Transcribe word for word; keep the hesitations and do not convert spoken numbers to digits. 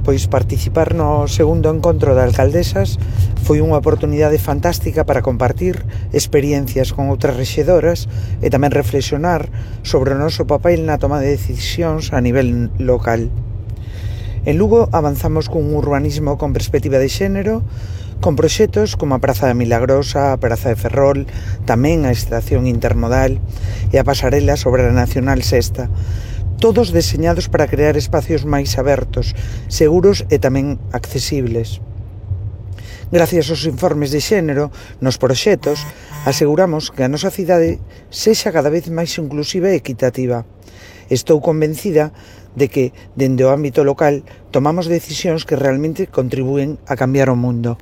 Pois participar no segundo encontro de alcaldesas foi unha oportunidade fantástica para compartir experiencias con outras rexedoras e tamén reflexionar sobre o noso papel na toma de decisións a nivel local. En Lugo avanzamos cun urbanismo con perspectiva de xénero, con proxectos como a Praza da Milagrosa, a Praza de Ferrol, tamén a Estación Intermodal e a pasarela sobre a Nacional Sexta, todos deseñados para crear espacios máis abertos, seguros e tamén accesibles. Gracias aos informes de xénero nos proxectos, aseguramos que a nosa cidade sexa cada vez máis inclusiva e equitativa. Estou convencida de que, dende o ámbito local, tomamos decisións que realmente contribúen a cambiar o mundo.